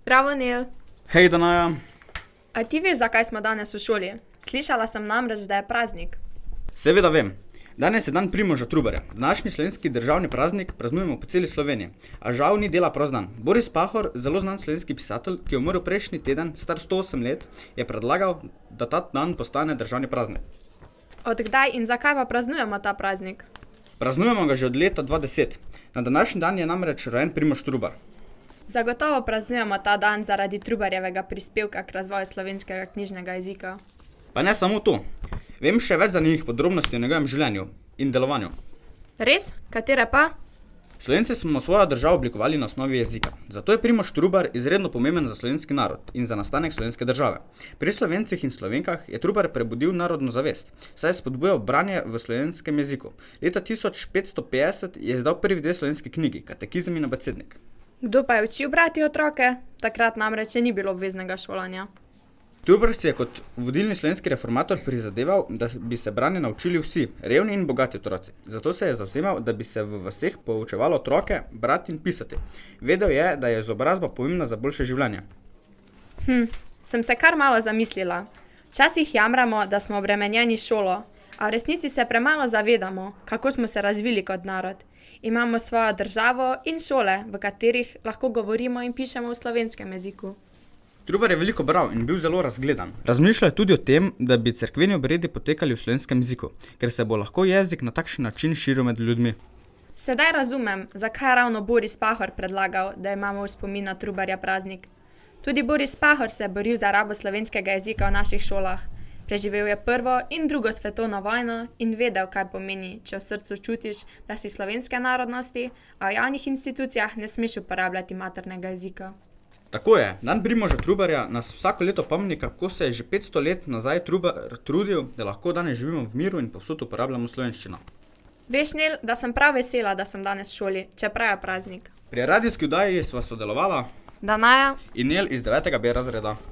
Zdravo, Nel. Hej, Danaja. A ti veš, zakaj smo danes v šoli? Slišala sem namreč, da je praznik. Seveda vem. Danes je dan Primoža Trubarja. Današnji slovenski državni praznik praznujemo po celi Sloveniji. A žal ni dela prost dan. Boris Pahor, zelo znan slovenski pisatelj, ki je umrl prejšnji teden, star 108 let, je predlagal, da ta dan postane državni praznik. Od kdaj in zakaj pa praznujemo ta praznik? Praznujemo ga že od leta 2010. Na današnji dan je namreč rojen Primož Trubar. Zagotovo praznujemo ta dan zaradi Trubarjevega prispevka k razvoju slovenskega knjižnega jezika. Pa ne samo to. Vem še več zanimivih podrobnosti o njegovem življenju in delovanju. Res? Katere pa? Slovenci smo svojo državo oblikovali na osnovi jezika. Zato je Primož Trubar izredno pomemben za slovenski narod in za nastanek slovenske države. Pri Slovencih in Slovenkah je Trubar prebudil narodno zavest, saj je spodbujal branje v slovenskem jeziku. Leta 1550 je izdal prvi dve slovenski knjigi, Katekizem in abecednik. Kdo pa je učil brati otroke? Takrat namreč še ni bilo obveznega šolanja. Trubar si je kot vodilni slovenski reformator prizadeval, da bi se branje naučili vsi, revni in bogati otroci. Zato se je zavzemal, da bi se v vaseh poučevalo otroke brati in pisati. Vedel je, da je izobrazba pomembna za boljše življenje. Sem se kar malo zamislila. Včasih jamramo, da smo obremenjeni šolo, a v resnici se premalo zavedamo, kako smo se razvili kot narod. Imamo svojo državo in šole, v katerih lahko govorimo in pišemo v slovenskem jeziku. Trubar je veliko bral in bil zelo razgledan. Razmišljal je tudi o tem, da bi cerkveni obredi potekali v slovenskem jeziku, ker se bo lahko jezik na takšen način širil med ljudmi. Sedaj razumem, zakaj je ravno Boris Pahor predlagal, da imamo v spomin na Trubarja praznik. Tudi Boris Pahor se je boril za rabo slovenskega jezika v naših šolah. Preživel je prvo in drugo svetovno vojno in vedel, kaj pomeni, če v srcu čutiš, da si slovenske narodnosti, a v javnih institucijah ne smeš uporabljati maternega jezika. Tako je, dan Primoža Trubarja nas vsako leto pomni, kako se je že 500 let nazaj Trubar trudil, da lahko danes živimo v miru in povsod uporabljamo slovenščino. Veš, Nel, da sem prav vesela, da sem danes v šoli, čeprav je praznik. Pri radijski oddaji sva sodelovala Danaja in Nel iz 9. B razreda.